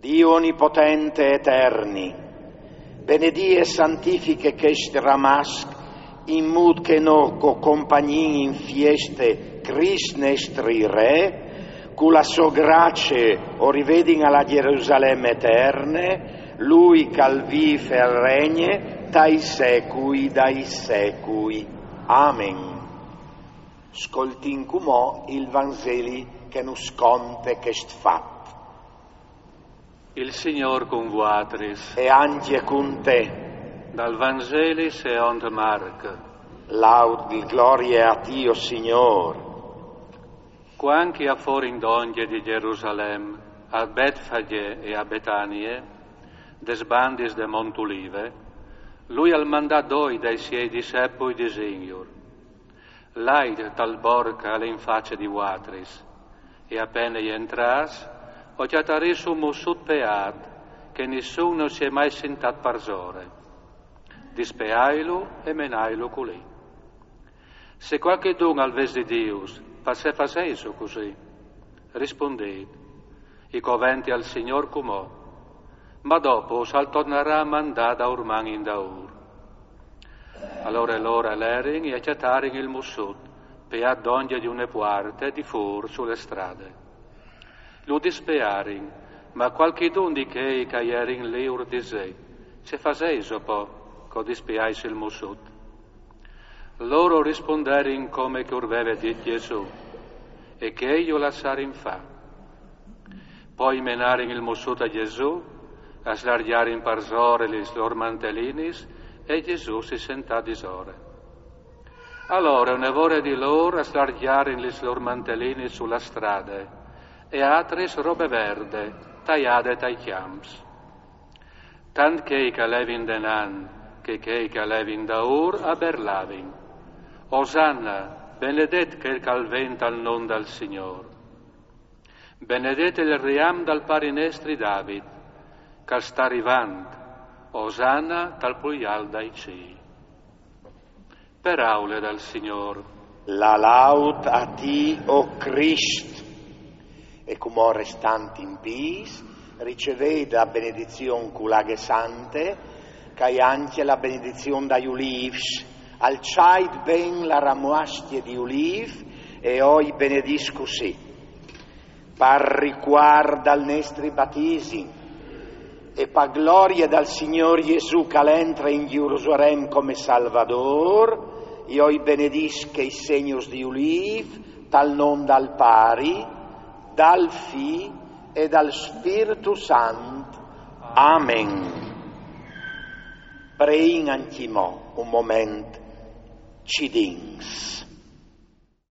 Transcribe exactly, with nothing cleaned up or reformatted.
Dio onipotente e eterni, benedì e santifiche chest ramasc, in mût che no co compagnin in fieste Crist nestri Re, cu la sô grace o rivedin a la Gjerusalem eterne, lui che al vîf e al regne tai secui dai secui. Amen. Scoltin cumò il Vanzeli che nus conte chest fat. Il Signôr cun vuatris. E ancje cun te. Dal Vanzeli secont Marc. Laud e glorie a ti, o Signôr. Cuant che a forin dongje di Gjerusalem a Betfagje e a Betanie, des bandis de Mont Ulive, lui al mandà doi dai siei dissepui disinjur: Lait tal borc che al è in face di vuatris, e a pene jentrâts, o cjatarês un mussut peât, che nissun no si è mai sintât parsore. Dispeailu e menailu culì. Se cualchidun al ves di Dius, parcè fasêso cussì? Rispundêt: I covente al Signôr cumò, ma dopo al tornarà a mandâ daurman indaûr. Alore lôr a lerin e a cjatarin il mussut, peât dongje di une puarte di fûr su le strade. Lu dispearin, ma cualchidun di chei che a jerin li ur disè: Ce fasêso po, che o dispeais il mussut? Lôr o risponderin come che ur veve dit Jesù, e chei ju lassarin fâ. Po i menarin il mussut a Jesù, a slargjarin parsore lis lôr mantelinis, e Jesù si sentà disore. Alore une vore di lôr a slargjarin lis lôr mantelinis su la strade, e atris robe verde, taiade tai cjamps. Tant chei che a levin denant che chei che a levin daûr a berlavin: Osanna, benedet chel che al ven tal non dal Signôr. Benedet il riam dal pari nestri David, che al sta rivant: Osanna tal plui alt dai cîl. Peraule dal Signôr. La laud a ti, o Crist. E cumò, restant in pîts, ricevêt la benedizion cu la aghe sante, che e je ancje la benedizion dai ulîfs. Alçait ben la ramuascje di ulîf e o i benedìs cussì. Par ricuart dal nestri batisim e pa glorie dal Signôr Jesù, che al entre in Gjerusalem come Salvadôr, jo i benedìs chei segns di ulîf, tal non dal Pari, dal Fi e dal Spirtu Sant. Amen. Preìn ancjemò un moment, cidins.